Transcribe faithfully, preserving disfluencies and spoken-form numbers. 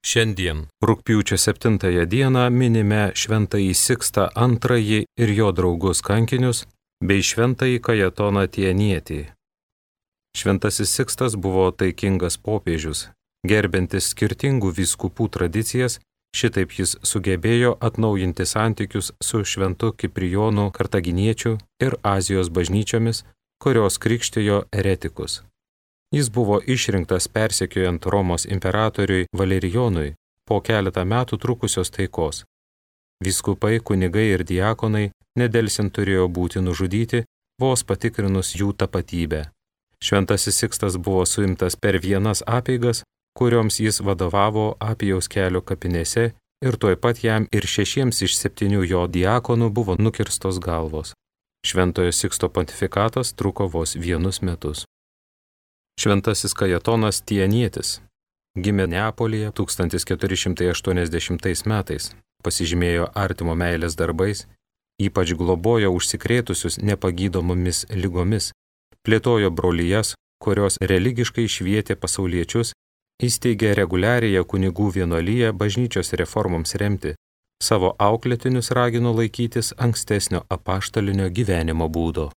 Šiandien, rugpjūčio septintąją dieną, minime šventąjį Sikstą antrąjį ir jo draugus kankinius, bei šventąjį Kajetoną Tienietį. Šventasis Sikstas buvo taikingas popiežius, gerbintis skirtingų vyskupų tradicijas, šitaip jis sugebėjo atnaujinti santykius su šventu Kiprijonu Kartaginiečiu ir Azijos bažnyčiomis, kurios krikštijo eretikus. Jis buvo išrinktas persekiojant Romos imperatoriui Valerijonui po keletą metų trukusios taikos. Vyskupai, kunigai ir diakonai nedelsiant turėjo būti nužudyti, vos patikrinus jų tapatybę. Šventasis Sikstas buvo suimtas per vienas apeigas, kurioms jis vadovavo Apijaus kelio kapinėse, ir tuoj pat jam ir šešiems iš septynių jo diakonų buvo nukirstos galvos. Šventojo Siksto pontifikatas truko vos vienus metus. Šventasis Kajetonas Tienietis gimė Neapolyje tūkstantis keturi šimtai aštuoniasdešimtais metais, pasižymėjo artimo meilės darbais, ypač globojo užsikrėtusius nepagydomomis ligomis, plėtojo brolijas, kurios religiškai švietė pasauliečius, įsteigė reguliariąją kunigų vienuoliją bažnyčios reformoms remti, savo auklėtinius ragino laikytis ankstesnio apaštalinio gyvenimo būdo.